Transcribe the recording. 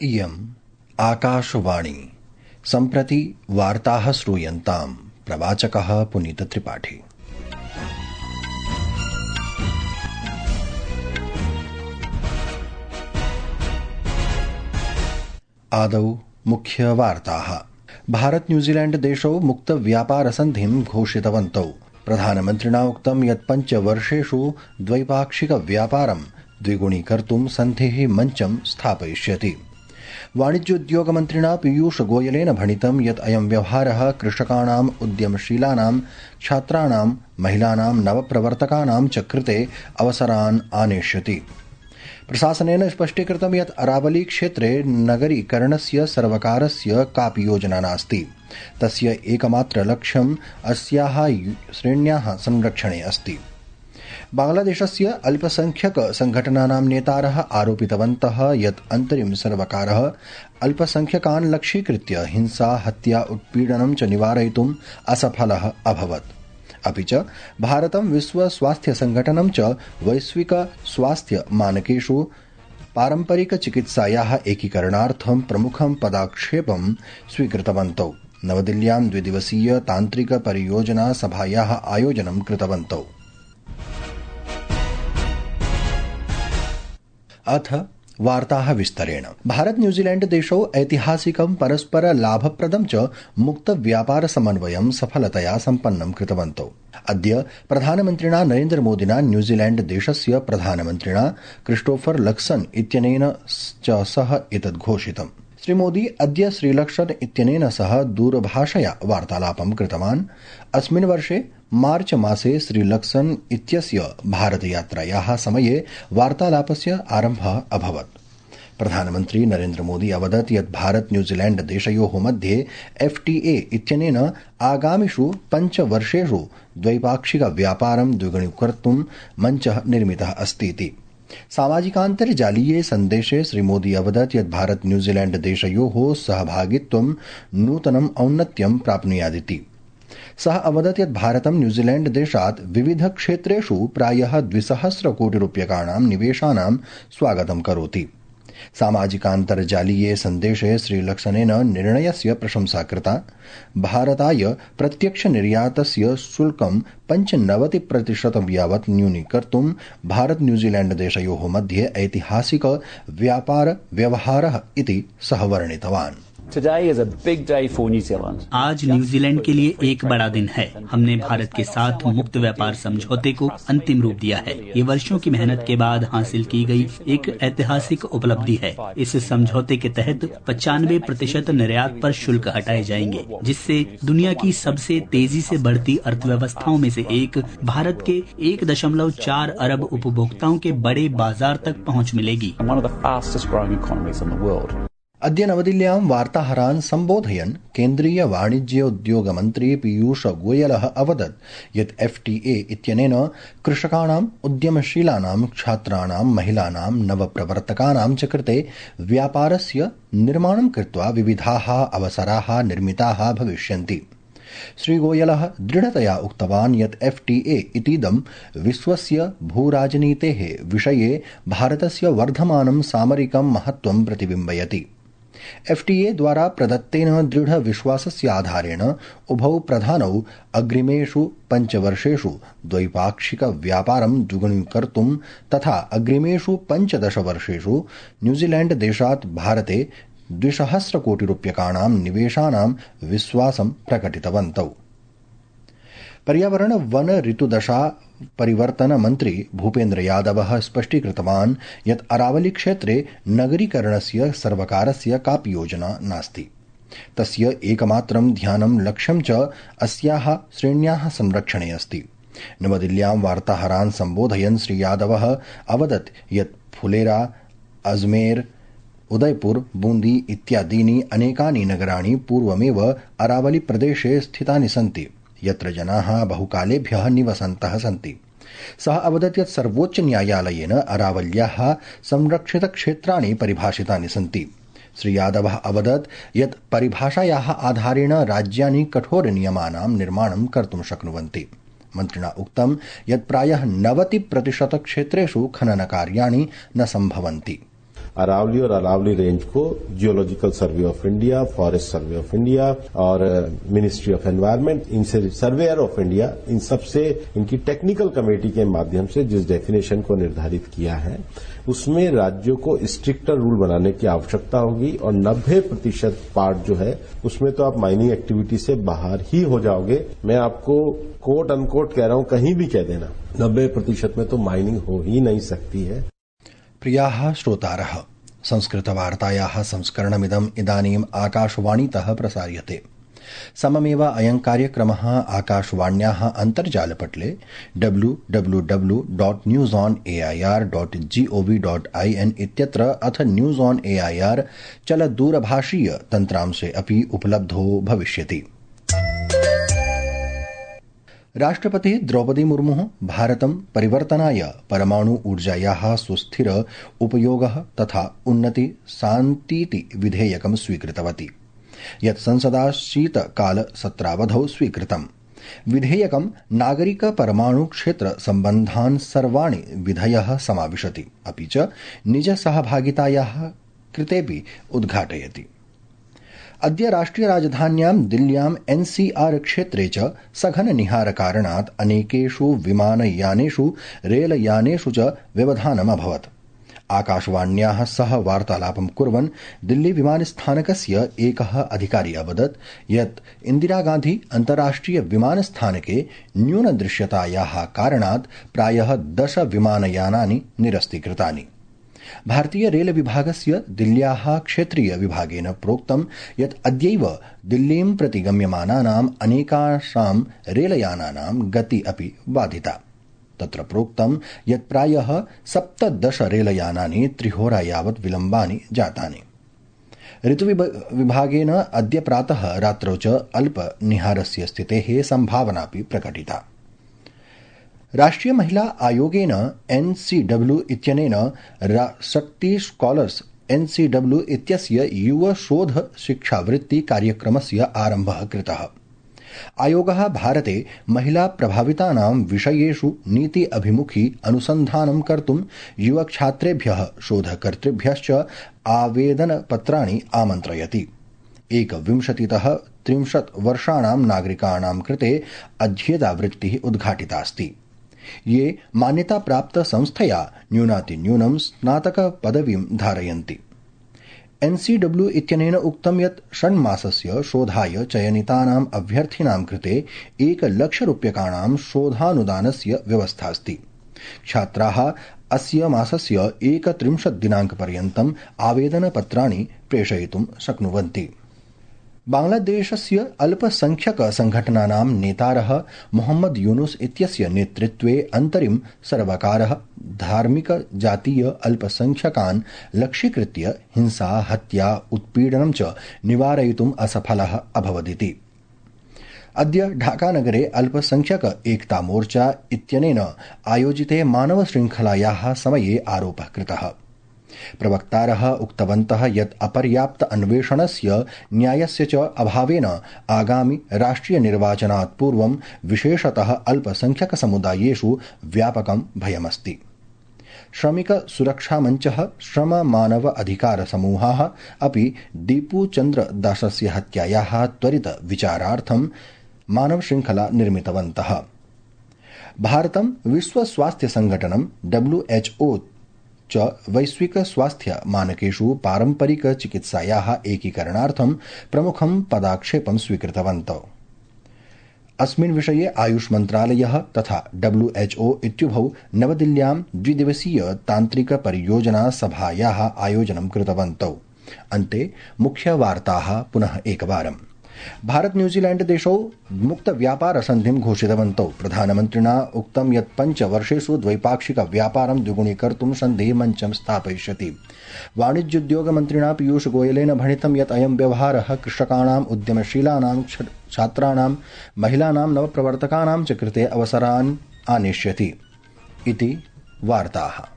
इयम् आकाशवाणी। सम्प्रति वार्ताः श्रूयन्ताम्। प्रवाचकः पुनीतत्रिपाठी। आदौ मुख्यवार्ताः। भारत न्यूजीलैंड देशौ मुक्त व्यापार सन्धिं घोषितवन्तौ। प्रधानमन्त्रिणा उक्तं यत् 5 वर्षेषु द्वैपाक्षिक व्यापारं द्विगुणीकर्तुं सन्धिः मञ्चं स्थापयिष्यति। वाणिज्योद्योगमन्त्रिणा पीयूष गोयलेन भणितं यत् अयं व्यवहारः कृषकाणाम्, उद्यमशीलानां, छात्राणां, महिलानां, नवप्रवर्तकानां च कृते अवसरान् आनेष्यति। प्रशासनेन स्पष्टीकृतं यत् अरावली क्षेत्रे नगरीकरणस्य सर्वकारस्य कापि योजना नास्ति। तस्य एकमात्र लक्ष्यम् अस्याः श्रेण्याः संरक्षणे अस्ति। बांग्लादेशस्य अल्पसंख्यक संघटनानां नेतारः आरोपितवन्तः यत् अन्तरिम सर्वकारः अल्पसंख्यकान् लक्ष्यीकृत्य हिंसा, हत्या, उत्पीडनं च निवारयितुम् असफलः अभवत्। अपि च भारतं विश्व स्वास्थ्य संघटनं च वैश्विक स्वास्थ्य मानकेषु पारम्परिक चिकित्सायाः एकीकरणार्थं प्रमुखं पदक्षेपं स्वीकृतवन्तौ। नवदिल्ल्यां 2 दिवसीय तान्त्रिक परियोजना सभायाः आयोजनं कृतवन्तौ। अथ वार्ताः विस्तरेण। भारत न्यूजीलैंड देशौ ऐतिहासिकं परस्पर लाभप्रदं च मुक्त व्यापार समन्वयं सफलतया सम्पन्नं कृतवन्तौ। अद्य प्रधानमन्त्रिणा नरेन्द्र मोदिना न्यूजीलैंड देशस्य प्रधानमन्त्रिणा क्रिस्टोफर लक्सन इत्यनेन च सह एतद् घोषितम्। श्रीमोदी अद्य श्रीलक्सन इत्यनेन सह दूरभाषया वार्तालापं कृतवान्। अस्मिन् वर्षे मार्च मासे श्रीलक्सन इत्यस्य भारतयात्रायाः समये वार्तालापस्य आरम्भः अभवत्। प्रधानमन्त्री नरेन्द्र मोदी अवदत् यत् भारत न्यूजीलैंड देशयोः मध्ये FTA इत्यनेन आगामिषु 5 वर्षेषु द्वैपाक्षिक व्यापारं द्विगुणीकर्तुं मञ्चः निर्मितः अस्तीति। सामाजिकान्तर्जालीये सन्देशे श्रीमोदी अवदत् यत् भारत न्यूजीलैंड देशयोः सहभागित्वं नूतनम् औन्नत्यं प्राप्नुयादिति। सः अवदत् यत् भारतं न्यूजीलैंड देशात् विविध क्षेत्रेषु प्रायः 200 कोटि रूप्यकाणां निवेशानां स्वागतं करोति। सामाजिकान्तर्जालीये सन्देशे श्रीलक्सनेन निर्णयस्य प्रशंसा कृता। भारताय प्रत्यक्ष निर्यातस्य शुल्कं 95% यावत् न्यूनीकर्तुं भारत न्यूजीलैंड देशयोः मध्ये ऐतिहासिक व्यापार व्यवहारः इति सः वर्णितवान्। Today is a big day for New Zealand. आज न्यूजीलैंड के लिए एक बड़ा दिन है। हमने भारत के साथ मुक्त व्यापार समझौते को अंतिम रूप दिया है। ये वर्षों की मेहनत के बाद हासिल की गई एक ऐतिहासिक उपलब्धि है। इस समझौते के तहत 95% निर्यात पर शुल्क हटाए जाएंगे, जिससे दुनिया की सबसे तेजी से बढ़ती अर्थव्यवस्थाओं में से एक भारत के 1.4 अरब उपभोक्ताओं के बड़े बाजार तक पहुँच मिलेगी। अद्य नवदिल्ल्यां वार्ताहरान् सम्बोधयन् केन्द्रीय वाणिज्योद्योग मन्त्री पीयूष गोयलः अवदत् यत् FTA इत्यनेन कृषकाणाम्, उद्यमशीलानां, छात्राणां, महिलानां, नवप्रवर्तकानां च कृते व्यापारस्य निर्माणं कृत्वा विविधाः अवसराः निर्मिताः भविष्यन्ति। श्रीगोयलः दृढतया उक्तवान् यत् FTA इतीदं विश्वस्य भूराजनीतेः विषये भारतस्य वर्धमानं सामरिकं महत्त्वं प्रतिबिम्बयति। FTA द्वारा प्रदत्तेन दृढ विश्वासस्य आधारेण उभौ प्रधानौ अग्रिमेषु 5 वर्षेषु द्वैपाक्षिक व्यापारं द्विगुणीकर्तुं तथा अग्रिमेषु 15 वर्षेषु न्यूजीलैंड देशात् भारते 200 कोटि रूप्यकाणां निवेशानां विश्वासं प्रकटितवन्तौ। पर्यावरण वन ऋतुदशा परिवर्तन मन्त्री भूपेन्द्र यादवः स्पष्टीकृतवान् यत् अरावली क्षेत्रे नगरीकरणस्य सर्वकारस्य कापि योजना नास्ति। तस्य एकमात्रं ध्यानं लक्ष्यं च अस्याः श्रेण्याः संरक्षणे अस्ति। नवदिल्ल्यां वार्ताहरान् सम्बोधयन् श्री यादवः अवदत् यत् फुलेरा, अजमेर, उदयपुर, बूंदी इत्यादीनि अनेकानि नगराणि पूर्वमेव अरावली प्रदेशे स्थितानि सन्ति, यत्र जनाः बहुकालेभ्यः निवसन्तः सन्ति। सः अवदत् यत् सर्वोच्च न्यायालयेन अरावल्याः संरक्षितक्षेत्राणि परिभाषितानि सन्ति। श्री यादवः अवदत् यत् परिभाषायाः आधारेण राज्यानि कठोरनियमानां निर्माणं कर्तुं शक्नुवन्ति। मन्त्रिणा उक्तं यत् प्रायः 90% क्षेत्रेषु खननकार्याणि न सम्भवन्ति। अरावली और अरावली रेंज को geological survey of India, forest survey of India और मिनिस्ट्री ऑफ एनवायरनमेंट, इनसे सर्वेयर ऑफ इंडिया, इन सबसे इनकी टेक्निकल कमेटी के माध्यम से जिस डेफिनेशन को निर्धारित किया है उसमें राज्यों को स्ट्रिक्टर रूल बनाने की आवश्यकता होगी और 90% पार्ट जो है उसमें तो आप माइनिंग एक्टिविटी से बाहर ही हो जाओगे। मैं आपको कोट अनकोट कह रहा हूं, कहीं भी कह देना 90% में तो माइनिंग हो ही नहीं सकती है। प्रियाः श्रोतारः, संस्कृतवार्तायाः संस्करणमिदम् इदानीम् आकाशवाणीतः प्रसार्यते। सममेव अयं कार्यक्रमः आकाशवाण्याः अन्तर्जालपटले www.newsonair.gov.in इत्यत्र अथ न्यूज ऑन एआईआर चलदूरभाषीय तन्त्रांशे अपि उपलब्धो भविष्यति। राष्ट्रपतिः द्रौपदी मुर्मुः भारतं परिवर्तनाय परमाणु ऊर्जायाः सुस्थिर उपयोगः तथा उन्नति शान्तीति विधेयकं स्वीकृतवती, यत् संसदा शीतकाल सत्रावधौ स्वीकृतम्। विधेयकं नागरिक परमाणु क्षेत्र सम्बन्धान् सर्वाणि विधयः समाविशति, अपि च निज सहभागितायाः कृतेऽपि उद्घाटयति। अद्य राष्ट्रिय राजधान्यां दिल्ल्यां एनसीआर क्षेत्रे च सघन निहारकारणात् अनेकेषु विमानयानेषु रेलयानेषु च व्यवधानम् अभवत्। आकाशवाण्याः सह वार्तालापं कुर्वन् दिल्ली विमानस्थानकस्य एकः अधिकारी अवदत् यत् इन्दिरागान्धी अन्ताराष्ट्रिय विमानस्थानके न्यूनदृश्यतायाः कारणात् प्रायः 10 विमानयानानि निरस्तीकृतानि। भारतीय रेल विभागस्य दिल्ल्याः क्षेत्रीय विभागेन प्रोक्तं यत् अद्यैव दिल्लीं प्रति गम्यमानानाम् अनेकासां रेलयानानां गति अपि बाधिता। तत्र प्रोक्तं यत् प्रायः 17 रेलयानानि 3 होरा यावत् विलम्बानि जातानि। ऋतुविभागेन अद्य प्रातः रात्रौ च अल्पनिहारस्य स्थितेः सम्भावनापि प्रकटिता। राष्ट्रिय महिला आयोगेन एनसीडब्ल्यू इत्यनेन शक्ति स्कॉलर्स एनसीडब्ल्यू इत्यस्य युव शोध शिक्षावृत्ति कार्यक्रमस्य आरम्भः कृतः। आयोगः भारते महिला प्रभावितानां विषयेषु नीति अभिमुखी अनुसन्धानं कर्तुं युवछात्रेभ्यः शोधकर्तृभ्यश्च आवेदनपत्राणि आमन्त्रयति। 21तः 30 वर्षाणां नागरिकाणां कृते अध्येतावृत्तिः उद्घाटितास्ति। ये मान्यताप्राप्त संस्थया न्यूनातिन्यूनं स्नातकपदवीं धारयन्ति। एनसीडब्ल्यू इत्यनेन उक्तं यत् षण्मासस्य शोधाय चयनितानाम् अभ्यर्थिनां कृते 1 लक्ष रूप्यकाणां शोधानुदानस्य व्यवस्थास्ति। छात्राः अस्य मासस्य 31 दिनाङ्कपर्यन्तम् आवेदनपत्राणि प्रेषयितुं शक्नुवन्ति। बांग्लादेशस्य अल्पसंख्यक संघटनानां नेतारः मोहम्मद यूनुस इत्यस्य नेतृत्वे अन्तरिम सर्वकारः धार्मिक जातीय अल्पसंख्यकान् लक्ष्यीकृत्य हिंसा, हत्या, उत्पीडनं च निवारयितुम् असफलः अभवदिति। अद्य ढाकानगरे अल्पसंख्यक एकता मोर्चा इत्यनेन आयोजिते मानव श्रृंखलायाः समये आरोपः कृतः। प्रवक्तारः उक्तवन्तः यत् अपर्याप्त अन्वेषणस्य न्यायस्य च अभावेन आगामि राष्ट्रिय निर्वाचनात् पूर्वं विशेषतः अल्पसंख्यक समुदायेषु व्यापकं भयमस्ति। श्रमिक सुरक्षा मञ्चः, श्रम मानव अधिकार समूहाः अपि दीपू चन्द्र दासस्य हत्यायाः त्वरित विचारार्थं मानव श्रृंखला निर्मितवन्तः। भारतं विश्व स्वास्थ्य संघटनं WHO च वैश्विक स्वास्थ्य मानकेषु पारंपरिक चिकित्सायाः एकीकरणार्थं प्रमुखं पदक्षेपं स्वीकृतवन्तौ। अस्मिन् विषये आयुष मन्त्रालयः तथा WHO इत्युभौ नवदिल्ल्यां द्विदिवसीय तान्त्रिक परियोजना सभायाः आयोजनं कृतवन्तौ। अन्ते मुख्यवार्ताः पुनः एकवारम्। भारत न्यूजीलैंड देशौ मुक्त व्यापार सन्धिं घोषितवन्तौ। प्रधानमन्त्रिणा उक्तं यत् 5 वर्षेषु द्वैपाक्षिक व्यापारं द्विगुणीकर्तुं सन्धिः मञ्चं स्थापयिष्यति। वाणिज्योद्योग मन्त्रिणा पीयूष गोयलेन भणितं यत् अयं व्यवहारः कृषकाणाम्, उद्यमशीलानां, छात्राणां, महिलानां, नवप्रवर्तकानां च कृते अवसरान् आनेष्यति इति वार्ताः।